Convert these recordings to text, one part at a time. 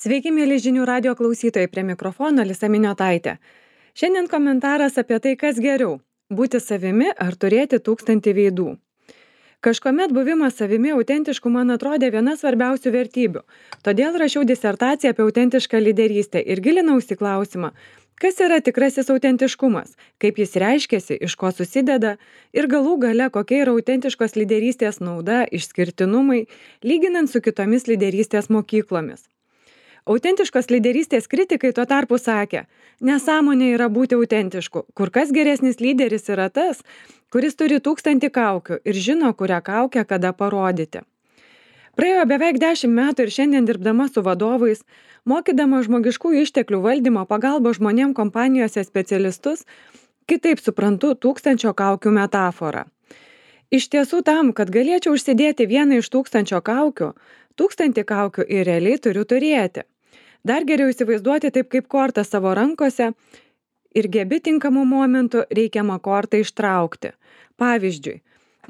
Sveiki, mėly žinių radio klausytojai, prie mikrofono Lisa Miniotaitė. Šiandien komentaras apie tai, kas geriau - būti savimi ar turėti 1000 veidų. Kažkuomet buvimas savimi autentišku man atrodė viena svarbiausių vertybių. Todėl rašiau disertaciją apie autentišką lyderystę ir gilinausi klausimą, kas yra tikrasis autentiškumas, kaip jis reiškiasi, iš ko susideda ir galų gale kokia yra autentiškos lyderystės nauda, išskirtinumai, lyginant su kitomis lyderystės mokyklomis. Autentiškos lyderystės kritikai tuo tarpu sakė, nesąmonė yra būti autentišku, kur kas geresnis lyderis yra tas, kuris turi 1000 kaukių ir žino, kurią kaukę kada parodyti. Praėjo beveik 10 metų ir šiandien dirbdama su vadovais, mokydama žmogiškųjų išteklių valdymo pagalbos žmonėm kompanijose specialistus, kitaip suprantu 1000 kaukių metaforą. Iš tiesų tam, kad galėčiau užsidėti vieną iš 1000 kaukių, 1000 kaukių ir realiai turiu turėti. Dar geriau įsivaizduoti taip kaip kortą savo rankose ir gebi tinkamų momentų reikiamą kortą ištraukti. Pavyzdžiui,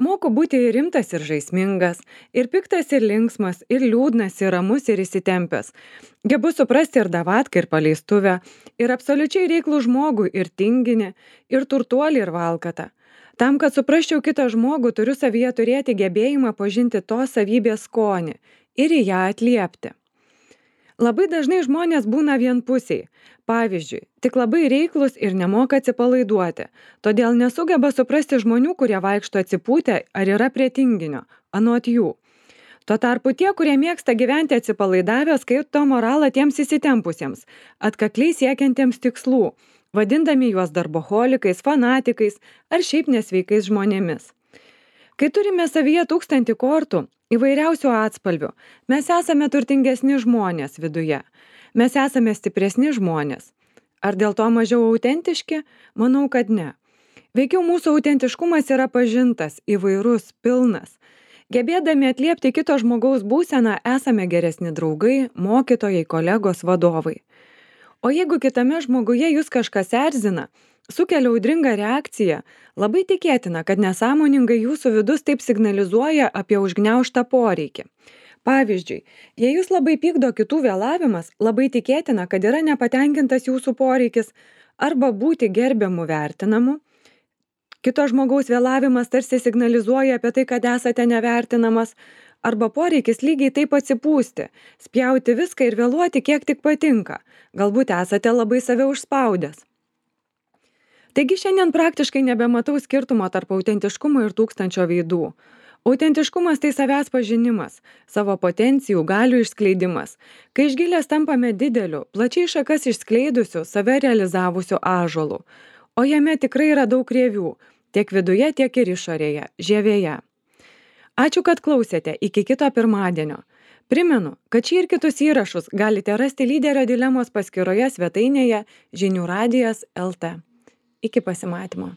moku būti ir rimtas ir žaismingas, ir piktas ir linksmas, ir liūdnas, ir ramus ir įsitempęs. Gebu suprasti ir davatką, ir paleistuvę, ir absoliučiai reiklų žmogų, ir tinginį, ir turtuolį, ir valkatą. Tam, kad suprasčiau kitą žmogų, turiu savyje turėti gebėjimą pažinti tos savybės skonį ir į ją atliepti. Labai dažnai žmonės būna vienpusiai. Pavyzdžiui, tik labai reiklus ir nemoka atsipalaiduoti, todėl nesugeba suprasti žmonių, kurie vaikšto atsipūtę ar yra prie tinginio, anot jų. Tuo tarpu tie, kurie mėgsta gyventi atsipalaidavę, skaito moralą tiems įsitempusiems, atkakliai siekiantiems tikslų, vadindami juos darboholikais, fanatikais ar šiaip nesveikais žmonėmis. Kai turime savyje 1000 kortų, įvairiausių atspalvių, mes esame turtingesni žmonės viduje. Mes esame stipresni žmonės. Ar dėl to mažiau autentiški? Manau, kad ne. Veikiau mūsų autentiškumas yra pažintas, įvairus, pilnas. Gebėdami atliepti kito žmogaus būseną, esame geresni draugai, mokytojai, kolegos, vadovai. O jeigu kitame žmoguje jūs kažkas erzina, sukelia audringą reakciją, labai tikėtina, kad nesąmoningai jūsų vidus taip signalizuoja apie užgniaužtą poreikį. Pavyzdžiui, jei jūs labai pykdo kitų vėlavimas, labai tikėtina, kad yra nepatenkintas jūsų poreikis arba būti gerbiamu vertinamu. Kito žmogaus vėlavimas tarsi signalizuoja apie tai, kad esate nevertinamas, arba poreikis lygiai taip atsipūsti, spjauti viską ir vėluoti kiek tik patinka. Galbūt esate labai save užspaudęs. Taigi šiandien praktiškai nebematau skirtumo tarp autentiškumo ir 1000 veidų. Autentiškumas tai savęs pažinimas, savo potencijų, galių išskleidimas, kai iš gilės tampame dideliu, plačiai šakas išskleidusiu, save realizavusiu ąžuolu. O jame tikrai yra daug rievių, tiek viduje, tiek ir išorėje, žievėje. Ačiū, kad klausėte, iki kito pirmadienio. Primenu, kad šį ir kitus įrašus galite rasti Lyderio dilemos paskyroje svetainėje žinių radijas LT. Iki pasimatymo.